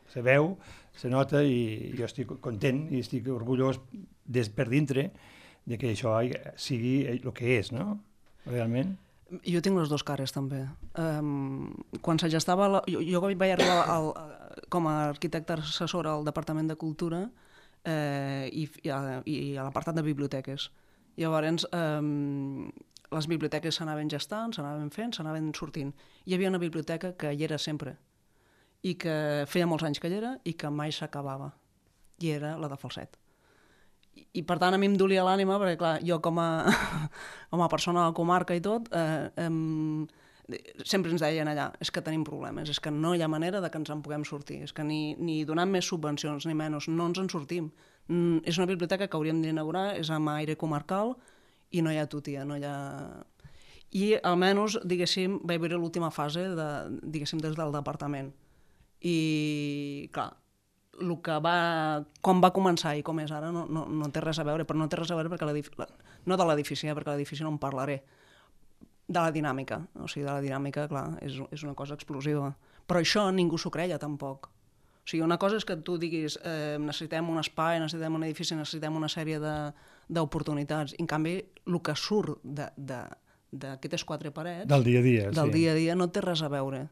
D: Se veu, se nota i jo estic content i estic orgullós per dintre de que això sigui el que és, no? Realment.
C: Jo tinc les dues cares, també. Quan se gestava... Jo vaig arribar com a arquitecte assessor al Departament de Cultura i a l'apartat de biblioteques. Llavors, les biblioteques s'anaven gestant, s'anaven fent, s'anaven sortint. Hi havia una biblioteca que hi era sempre i que feia molts anys que hi era i que mai s'acabava. I era la de Falset. I per tant a mi em dolia l'ànima perquè clar, jo com a persona de la comarca i tot sempre ens deien allà és que tenim problemes, és que no hi ha manera de que ens en puguem sortir, és que ni donant més subvencions ni menys, no ens en sortim. És una biblioteca que hauríem d'inaugurar, és amb aire comarcal i no hi ha tutia, no hi ha... I almenys, diguéssim, vaig veure l'última fase, diguéssim, des del departament. I, clar, com va començar i com és ara no té res a veure, però no té res a veure perquè no de l'edifici, perquè l'edifici no en parlaré, de la dinàmica. O sigui, de la dinàmica, clar, és una cosa explosiva. Però això ningú s'ho creia, tampoc. O sigui, una cosa és que tu diguis necessitem un espai, necessitem un edifici, necessitem una sèrie d'oportunitats. En canvi, el que surt d'aquestes quatre parets...
D: Del dia a dia,
C: del dia a dia no té res a veure.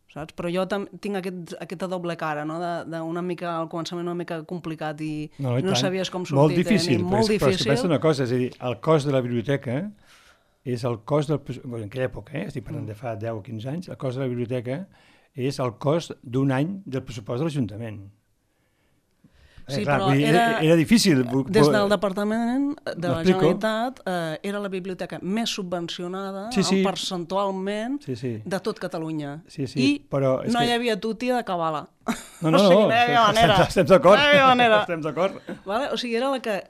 C: Saps? Però jo tinc aquesta doble cara, no? D'una mica, al començament una mica complicat i no sabies com sortir.
D: Molt difícil,
C: molt difícil.
D: Però és que pensa una cosa, és a dir, el cost de la biblioteca és el cost del... En aquella època, estic parlant de fa 10 o 15 anys, el cost de la biblioteca és el cost d'un any del pressupost de l'Ajuntament.
C: Sí,
D: clar,
C: però
D: era difícil.
C: Des del Departament de la Generalitat era la biblioteca més subvencionada percentualment de tot Catalunya. I no hi havia tuti de cabala.
D: No, estem d'acord.
C: O sigui, era la que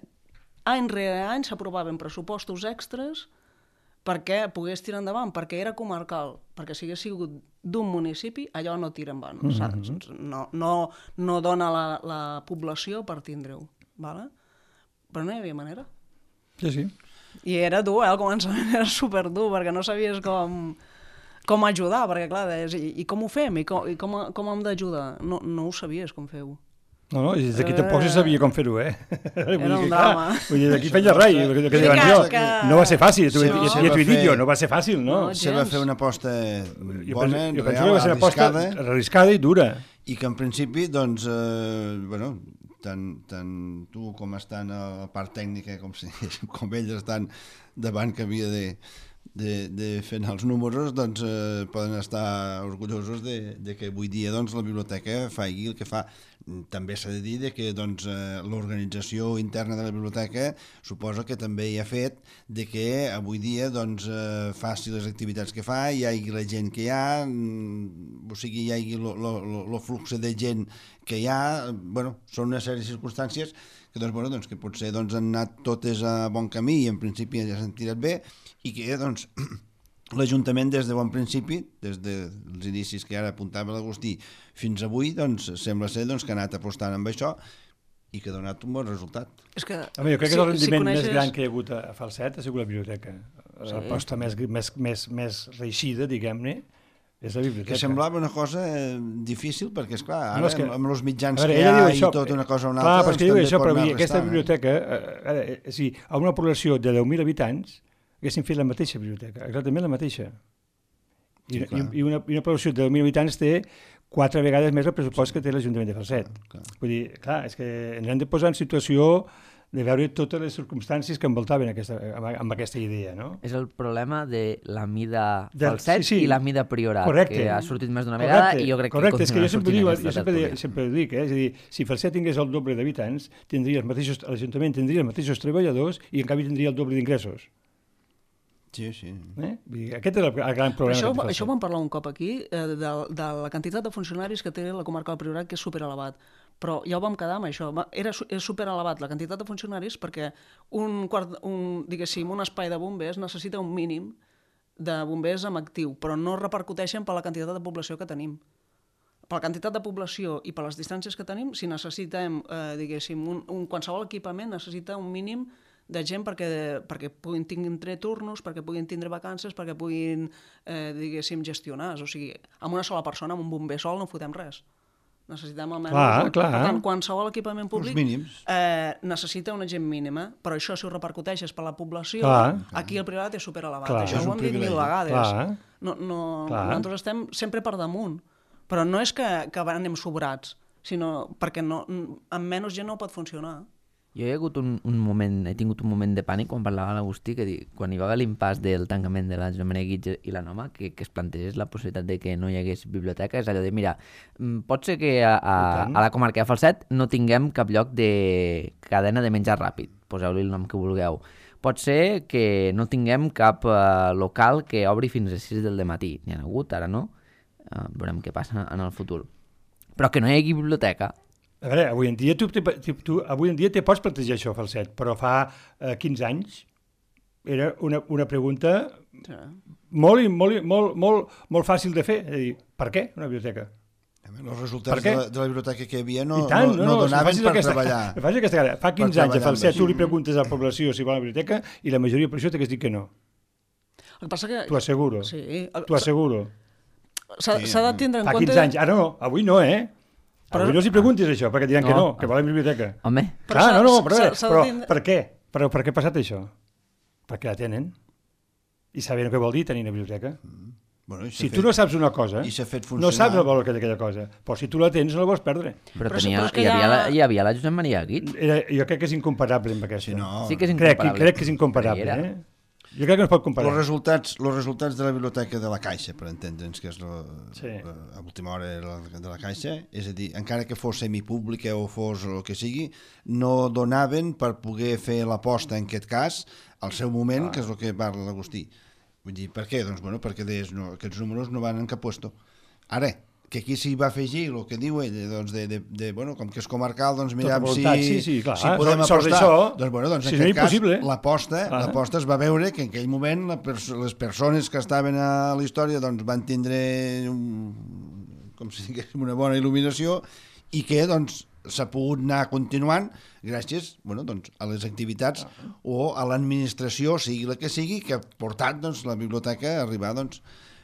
C: any rere any s'aprovaven pressupostos extras perquè pogués tirar endavant, perquè era comarcal, perquè si hagués sigut d'un municipi, allò no tira endavant, saps? No dona la població per tindre-ho, però no hi havia manera.
D: Sí.
C: I era dur, al començament era superdur, perquè no sabies com ajudar, perquè clar, deies, i com ho fem? I com hem d'ajudar? No ho sabies com fer-ho.
D: No, i des d'aquí tampoc se sabia com fer-ho,
C: Era un drama.
D: Vull dir, d'aquí feia res, no va ser fàcil, ja t'ho he dit jo, no va ser fàcil, no?
B: Se va fer una aposta bona,
D: real, arriscada i dura.
B: I que en principi, doncs, tant tu com estan a la part tècnica, com ells estan davant que havia de fer els números, doncs poden estar orgullosos de que avui dia la biblioteca faci el que fa. També s'ha de dir que l'organització interna de la biblioteca suposa que també hi ha fet de que avui dia faci les activitats que fa, hi hagi la gent que hi ha, o sigui, hi hagi el flux de gent que hi ha. Són una sèrie de circumstàncies que potser han anat totes a bon camí i en principi ja s'han tirat bé, i que l'Ajuntament des de bon principi, des dels inicis que ara apuntava l'Agustí fins avui, sembla ser que ha anat apostant amb això i que ha donat un bon resultat.
C: Jo
D: crec que el rendiment més gran que hi ha hagut a Falset ha sigut la biblioteca. L'aposta més reeixida, diguem-ne, és la biblioteca.
B: Que semblava una cosa difícil, perquè, esclar, ara amb els mitjans que hi ha i tot una cosa o una altra...
D: Clar, perquè diu això, però aquesta biblioteca, a una població de 10.000 habitants, haguessin fet la mateixa biblioteca, exactament la mateixa. I una població de 10.000 habitants té 4 vegades més el pressupost que té l'Ajuntament de Falset. Vull dir, clar, és que ens hem de posar en situació de veure totes les circumstàncies que envoltaven amb aquesta idea, no?
A: És el problema de la mida Falset i la mida Priorat, que ha sortit més d'una vegada i jo crec que
D: continua sortint aquesta tertúlia. Jo sempre ho dic, és a dir, si Falset tingués el doble d'habitants, l'Ajuntament tindria els mateixos treballadors i en canvi tindria el doble d'ingressos.
B: Sí.
D: Aquest és el gran problema.
C: Això ho vam parlar un cop aquí, de la quantitat de funcionaris que té la comarca del Priorat, que és superelevat. Però ja ho vam quedar amb això. És superelevat la quantitat de funcionaris perquè un espai de bombers necessita un mínim de bombers en actiu, però no repercuteixen per la quantitat de població que tenim. Per la quantitat de població i per les distàncies que tenim, si necessitem, qualsevol equipament necessita un mínim de gent perquè puguin tindre turnos, perquè puguin tindre vacances, perquè puguin, gestionar. O sigui, amb una sola persona, amb un bomber sol, no fotem res. Necessitem almenys...
D: Clar.
C: Per tant, qualsevol equipament públic necessita una gent mínima, però això si ho repercuteixes per la població, aquí el Priorat és superelevat. Això ho hem dit 1000 vegades. Nosaltres estem sempre per damunt, però no és que anem sobrats, sinó perquè amb menys gent no pot funcionar.
A: Jo he tingut un moment de pànic quan parlava l'Agustí, que quan hi va haver l'impàs del tancament de la Joan Maria Guitge i la Noma, que es plantegés la possibilitat de que no hi hagués biblioteca, és allò de, mira, pot ser que a la comarca de Falset no tinguem cap lloc de cadena de menjar ràpid, poseu-li el nom que vulgueu. Pot ser que no tinguem cap local que obri fins a 6 del matí. N'hi ha hagut, ara no. Veurem què passa en el futur. Però que no hi hagi biblioteca.
D: A veure, avui en dia te pots plantejar això, Falset, però fa 15 anys era una pregunta molt fàcil de fer. És a dir, per què una biblioteca?
B: Els resultats de la biblioteca que hi havia no donaven per treballar.
D: Fa 15 anys a Falset tu li preguntes a la població si vol una biblioteca i la majoria de la població t'hagués dit que no.
C: El que passa que...
D: T'ho asseguro. T'ho asseguro.
C: S'ha de tindre en compte...
D: Fa 15 anys. Ara no, avui no, Avui no s'hi preguntis això, perquè diran que no, que volen biblioteca.
A: Home.
D: Clar, però per què? Per què ha passat això? Perquè la tenen. I saben què vol dir tenir una biblioteca. Si tu no saps una cosa, no saps el valor que té aquella cosa. Però si tu la tens, no la vols perdre.
A: Però hi havia la Josep Maria Guit.
D: Jo crec que és incomparable amb aquesta.
A: Sí que és incomparable.
D: Crec que és incomparable, Jo crec que no es pot comparar.
B: Els resultats de la biblioteca de la Caixa, per entendre'ns, que és a última hora de la Caixa, és a dir, encara que fos semipública o fos el que sigui, no donaven per poder fer l'aposta, en aquest cas, al seu moment, que és el que parla l'Agustí. Vull dir, per què? Doncs, perquè aquests números no van en cap puesto. Ara, que aquí s'hi va afegir el que diu ell, doncs, com que és comarcal, doncs mirem si podem apostar. Doncs en aquest cas, l'aposta es va veure que en aquell moment les persones que estaven a la història doncs van tindre com si diguéssim una bona il·luminació i que doncs s'ha pogut anar continuant gràcies a les activitats o a l'administració, sigui la que sigui, que ha portat la biblioteca a arribar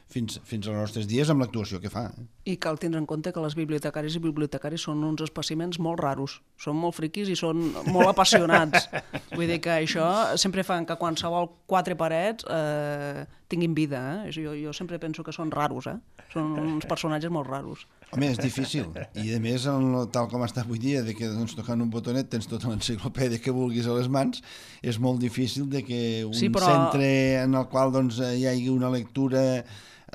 B: fins als nostres dies amb l'actuació que fa.
C: I cal tindre en compte que les bibliotecàries i bibliotecaris són uns espècimens molt raros, són molt friquis i són molt apassionats. Vull dir que això sempre fan que qualsevol quatre parets tinguin vida. Jo sempre penso que són raros, són uns personatges molt raros.
B: Home, és difícil. I a més, tal com està avui dia, que tocant un botonet tens tota l'enciclopèdia que vulguis a les mans, és molt difícil que un centre en el qual hi hagi una lectura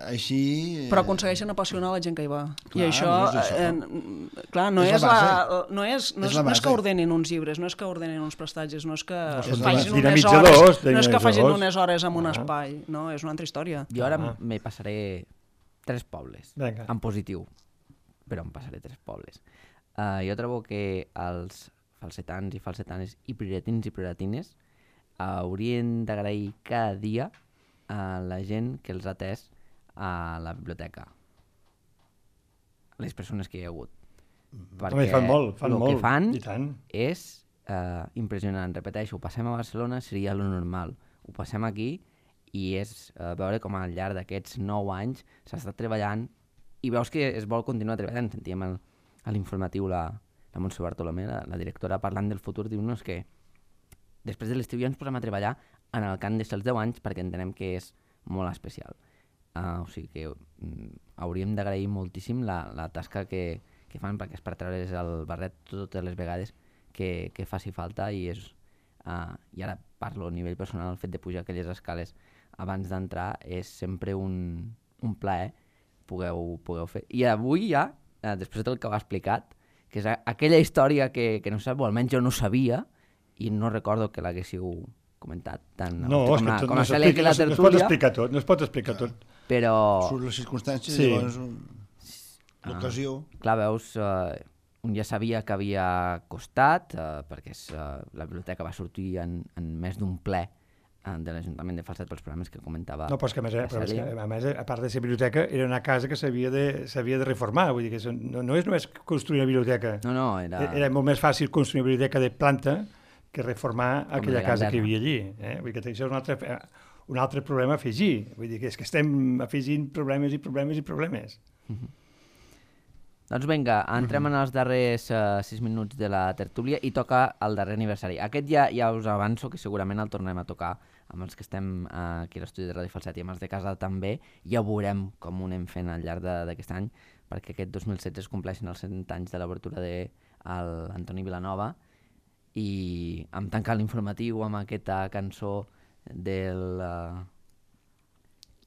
B: així...
C: Però aconsegueixen apassionar la gent que hi va. I això, clar, no és que ordenin uns llibres, no és que ordenin uns prestatges, no és que facin unes hores en un espai, no, és una altra història.
A: Jo ara me passaré 3 pobles, en positiu, però em passaré 3 pobles. Jo trobo que els falsetans i falsetanes i prioratins i prioratines haurien d'agrair cada dia a la gent que els ha atès a la biblioteca, les persones que hi ha hagut, perquè el que fan és impressionant. Repeteixo, ho passem a Barcelona, seria lo normal, ho passem aquí i és veure com al llarg d'aquests 9 anys s'ha estat treballant i veus que es vol continuar treballant. Sentíem a l'informatiu la Montse Bartolomé, la directora, parlant del futur, diu-nos que després de l'estiu ja ens posem a treballar en el que han de ser els 10 anys perquè entenem que és molt especial. O sigui que hauríem d'agrair moltíssim la tasca que fan, perquè és per treure's el barret totes les vegades que faci falta i ara parlo a nivell personal, el fet de pujar aquelles escales abans d'entrar és sempre un plaer pugueu fer. I avui ja, després del que ho ha explicat, que és aquella història que no sap, o almenys jo no sabia i no recordo que l'haguéssiu comentat tant com la Cèlia que la tertúlia.
D: No es pot explicar tot.
A: Però...
B: Surt les circumstàncies, llavors l'ocasió...
A: Clar, veus, un ja sabia que havia costat, perquè la biblioteca va sortir en més d'un ple de l'Ajuntament de Falset pels programes que comentava.
D: No, però és que a més, a part de ser biblioteca, era una casa que s'havia de reformar, vull dir que no és només construir una biblioteca.
A: No,
D: era molt més fàcil construir una biblioteca de planta que reformar aquella casa que hi havia allí. Vull dir que això és un altre problema a afegir. Vull dir que és que estem afegint problemes i problemes i problemes.
A: Doncs vinga, entrem en els darrers 6 minuts de la tertúlia i toca el darrer aniversari. Aquest ja us avanço que segurament el tornem a tocar amb els que estem aquí a l'estudi de Ràdio Falset i amb els de casa també. Ja veurem com ho anem fent al llarg d'aquest any, perquè aquest 2016 es compleixen els 100 anys de l'obertura de l'Antoni Vilanova i hem tancat l'informatiu amb aquesta cançó del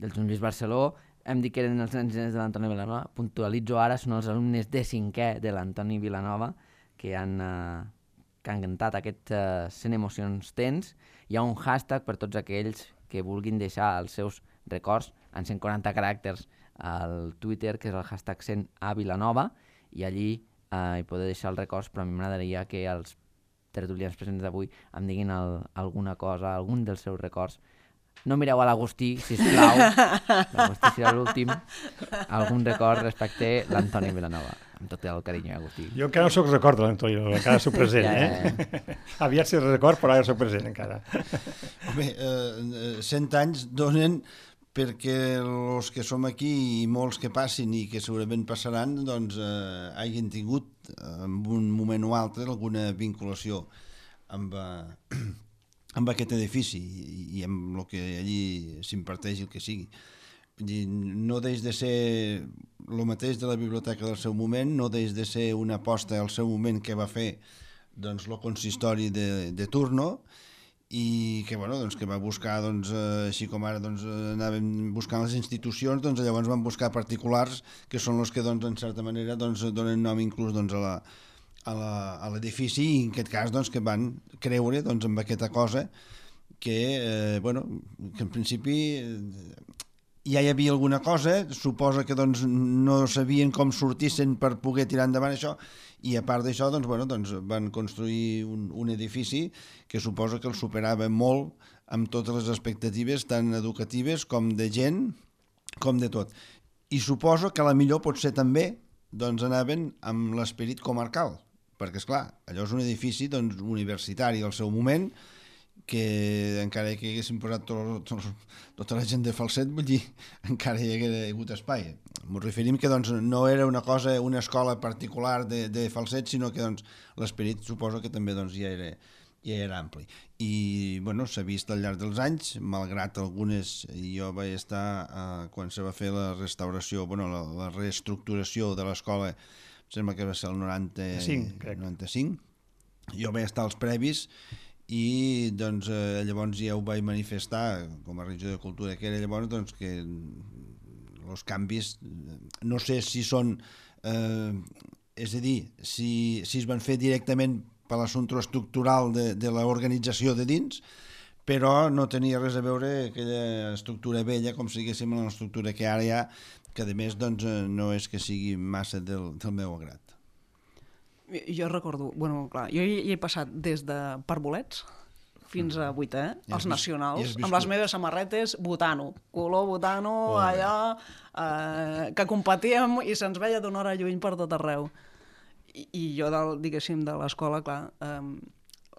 A: Joan Lluís Barceló. Hem dit que eren els nens de l'Antoni Vilanova. Puntualitzo ara, són els alumnes de 5è de l'Antoni Vilanova que han cantat aquestes 100 emocions tens. Hi ha un hashtag per tots aquells que vulguin deixar els seus records en 140 caràcters al Twitter, que és el hashtag 100A Vilanova, i allí hi podeu deixar els records, però a mi m'agradaria que els tertulians presents d'avui em diguin alguna cosa, algun dels seus records. No mireu a l'Agustí, sisplau. L'Agustí serà l'últim. Algun record respecte a l'Antoni Vilanova. Amb tot el carinyo, Agustí.
D: Jo encara no soc record de l'Antoni, encara soc present, Aviat sé record, però ara soc present encara.
B: Home, 100 anys donen perquè els que som aquí i molts que passin i que segurament passaran, doncs hagin tingut en un moment o altre alguna vinculació amb aquest edifici i amb el que allí s'imparteix, el que sigui. No deix de ser el mateix de la biblioteca del seu moment, no deix de ser una aposta al seu moment que va fer doncs, el consistori de turno i que, bueno, doncs, que va buscar, doncs, així com ara doncs, anàvem buscant les institucions, doncs, llavors van buscar particulars que són els que doncs, en certa manera doncs, donen nom inclús doncs, a l'edifici i en aquest cas doncs, que van creure doncs, en aquesta cosa que, que en principi ja hi havia alguna cosa, suposa que doncs, no sabien com sortissin per poder tirar endavant això i a part d'això doncs, van construir un edifici que suposa que el superava molt amb totes les expectatives tant educatives com de gent com de tot. I suposo que a la millor potser també doncs, anaven amb l'esperit comarcal perquè, esclar, allò és un edifici doncs, universitari al seu moment, que encara que haguessin posat tota la gent de Falset, vull dir, encara hi hagués hagut espai. M'ho referim que doncs, no era una cosa, una escola particular de Falset, sinó que doncs, l'esperit suposo que també doncs, ja era ampli. I bueno, s'ha vist al llarg dels anys, malgrat algunes, jo vaig estar quan se va fer la restauració, la reestructuració de l'escola, sembla que va ser el 95. Jo vaig estar als previs i doncs, llavors ja ho vaig manifestar com a regidor de cultura que era llavors doncs, que els canvis no sé si són és a dir, si es van fer directament per l'assumpte estructural de l'organització de dins, però no tenia res a veure aquella estructura vella com si diguéssim l'estructura que ara hi ha, que a més doncs, no és que sigui massa del meu agrat.
C: Jo recordo, clar, jo hi he passat des de Parbolets fins a 8è, els nacionals, amb les meves samarretes botano, color botano, allà, que competíem i se'ns veia d'una hora lluny per tot arreu. I jo, diguéssim, de l'escola, clar,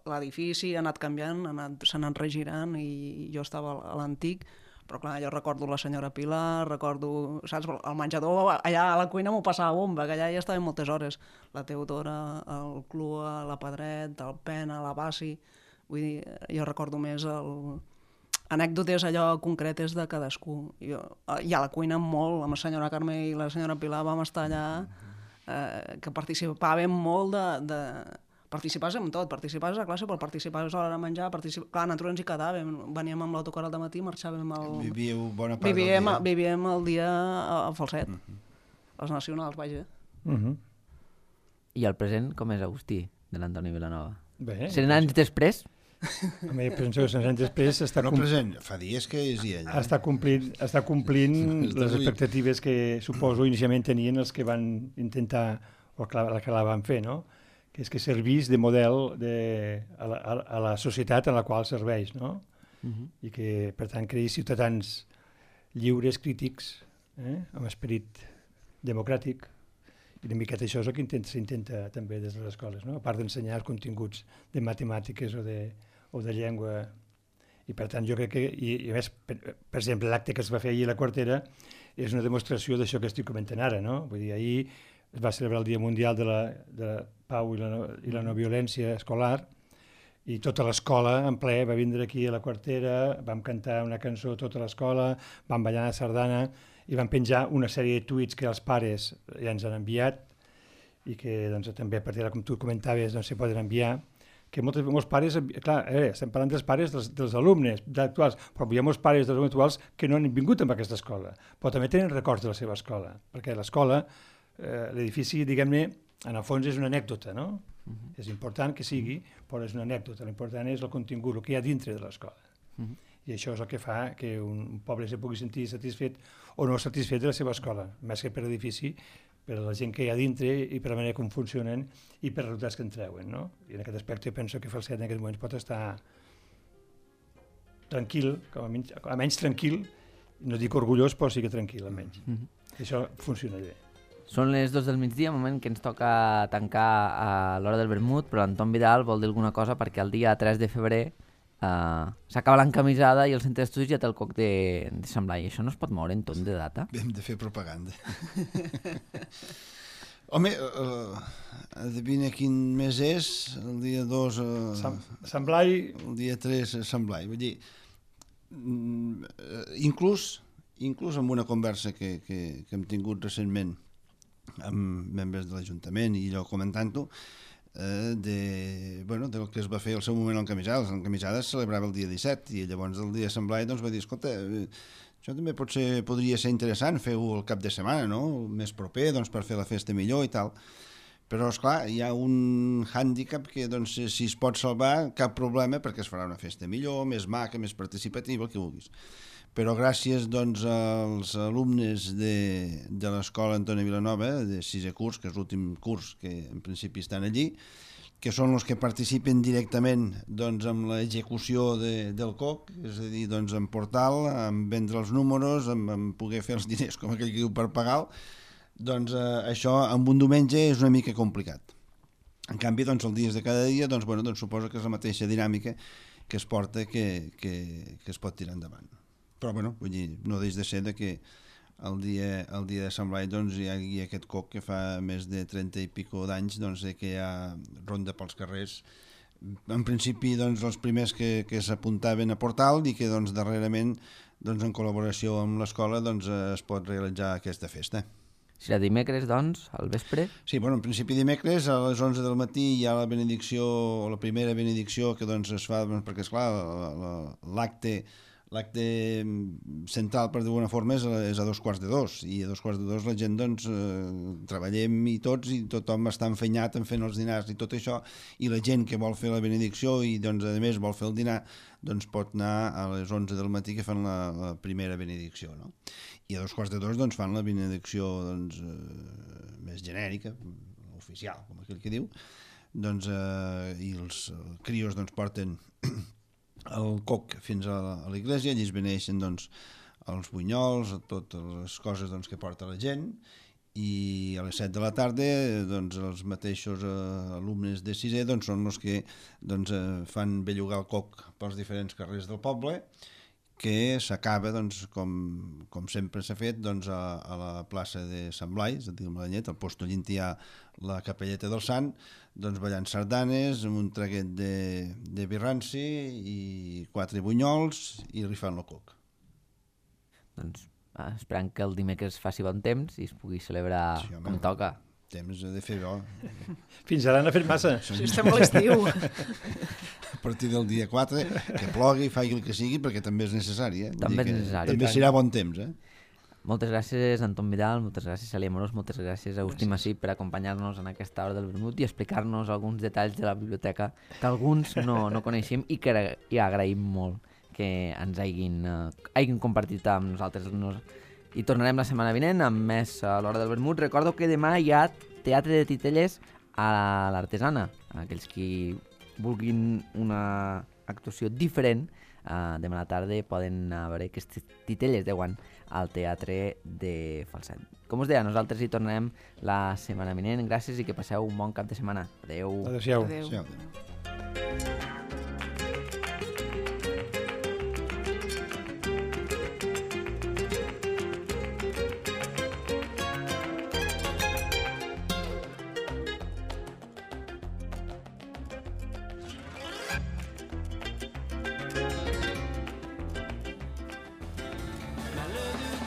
C: l'edifici ha anat canviant, s'ha anat regirant i jo estava a l'antic, però clar, jo recordo la senyora Pilar, recordo, saps, el menjador, allà a la cuina m'ho passava bomba, que allà ja estàvem moltes hores, la Teodora, el Clua, la Pedret, el Pena, la Bassi, vull dir, jo recordo més anècdotes allò concretes de cadascú. I a la cuina molt, amb la senyora Carme i la senyora Pilar vam estar allà, que participàvem molt participaves en tot, participaves a classe, però participaves a l'hora de menjar, clar, nosaltres ens hi quedàvem, veníem amb l'autocar al dematí, marxàvem
B: Vivíeu bona part del dia.
C: Vivíem el dia a Falset, els nacionals, vaja.
A: I el present com és, Agustí, de l'Antoni Vilanova?
D: Bé.
A: 100 anys després?
D: Home, penso que 100 anys després
B: no present, fa dies que és allà.
D: Està complint les expectatives que suposo inicialment tenien els que van intentar, o que la van fer, no? Que és que servís de model a la societat en la qual serveix, no? I que, per tant, creï ciutadans lliures, crítics, amb esperit democràtic, i una miqueta això és el que s'intenta també des de les escoles, no? A part d'ensenyar els continguts de matemàtiques o de llengua. I per tant, jo crec que, i a més, per exemple, l'acte que es va fer ahir a la Quartera és una demostració d'això que estic comentant ara, no? Vull dir, ahir es va celebrar el Dia Mundial de la Pau i la no violència escolar i tota l'escola en ple va vindre aquí a la Quartera, vam cantar una cançó tota l'escola, vam ballar la sardana i vam penjar una sèrie de tuits que els pares ja ens han enviat i que doncs, també a partir de com tu comentaves doncs, se poden enviar, que molts pares, clar, estem parlant dels pares dels alumnes actuals, però hi ha molts pares dels alumnes actuals que no han vingut amb aquesta escola, però també tenen records de la seva escola, perquè l'escola l'edifici, diguem-ne, en el fons és una anècdota, no? És important que sigui, però és una anècdota. L'important és el contingut, el que hi ha dintre de l'escola. I això és el que fa que un poble se pugui sentir satisfet o no satisfet de la seva escola. Més que per edifici, per a la gent que hi ha dintre i per la manera com funcionen i per els resultats que en treuen, no? I en aquest aspecte penso que Falset en aquest moment pot estar tranquil, almenys tranquil, no dic orgullós, però sí que tranquil, almenys. Això funciona bé.
A: Són les 2 del migdia, moment que ens toca tancar a l'hora del vermut, però l'Anton Vidal vol dir alguna cosa perquè el dia 3 de febrer s'acaba l'encamisada i el centre d'estudis ja té el coc de Sant Blai. Això no es pot moure en torn de data?
B: Hem de fer propaganda. Home, adivina quin mes és, el dia 2...
D: Sant Blai...
B: El dia 3 Sant Blai. Vull dir, inclús amb una conversa que hem tingut recentment amb membres de l'Ajuntament i jo comentant-ho, del que es va fer al seu moment l'encamisada. L'encamisada es celebrava el dia 17 i llavors el dia de Sant Blai va dir, escolta, això també podria ser interessant fer-ho el cap de setmana, no? Més proper, per fer la festa millor i tal. Però, esclar, hi ha un hàndicap que, si es pot salvar, cap problema, perquè es farà una festa millor, més maca, més participativa, el que vulguis. Però gràcies, als alumnes de l'escola Antoni Vilanova, de 6è curs, que és l'últim curs que en principi estan allí, que són els que participen directament amb l'execució del COC, és a dir, en portal, en vendre els números, en poder fer els diners, com aquell que diu, per pagar, això amb un diumenge és una mica complicat. En canvi, els dies de cada dia, suposo que és la mateixa dinàmica que es porta que es pot tirar endavant. Però, vull dir, no deix de ser que el dia de Sant Blai hi ha aquest coc que fa més de 30 i pico d'anys que hi ha ronda pels carrers. En principi, els primers que s'apuntaven a Portal i que darrerament, en col·laboració amb l'escola, es pot realitzar aquesta festa.
A: Serà dimecres, al vespre?
B: Sí, en principi dimecres a les 11 del matí hi ha la benedicció, o la primera benedicció que es fa, perquè, esclar, l'acte central, per d'alguna forma, és a 2:45, i a 2:45 la gent, treballem i tothom està enfenyat en fent els dinars i tot això, i la gent que vol fer la benedicció i, a més, vol fer el dinar, pot anar a les 11 del matí que fan la primera benedicció, no? I a 2:45 fan la benedicció més genèrica, oficial, com aquell que diu, i els crios porten el coc fins a l'església, allí es beneixen els bunyols, totes les coses que porta la gent, i a les 7 de la tarda els mateixos alumnes de 6è són els que fan bellugar el coc pels diferents carrers del poble, que s'acaba, com sempre s'ha fet, a la plaça de Sant Blai, és a dir, al post on hi ha la capelleta del Sant, ballant sardanes, amb un traguet de birranci i 4 bunyols i rifant el coc.
A: Esperant que el dimecres faci bon temps i es pugui celebrar com toca.
B: Temps de fer bo.
D: Fins ara n'ha fet massa.
C: Sí, estem a l'estiu.
B: A partir del dia 4, que plogui, faci el que sigui, perquè també és necessari.
A: També és necessari.
B: També serà bon temps,
A: Moltes gràcies, Anton Vidal, moltes gràcies, Celia Amorós, moltes gràcies a Agustí Massip per acompanyar-nos en aquesta hora del vermut i explicar-nos alguns detalls de la biblioteca que alguns no coneixem i que agraïm molt que ens hagin compartit amb nosaltres. I tornarem la setmana vinent amb més a l'hora del vermut. Recordo que demà hi ha teatre de titelles a l'Artesana. Aquells qui vulguin una actuació diferent, demà a la tarda poden anar a veure aquestes titelles de guant al Teatre de Falset. Com us deia, nosaltres hi tornarem la setmana vinent. Gràcies i que passeu un bon cap de setmana. Adéu.
D: Adéu-siau.
C: Adéu.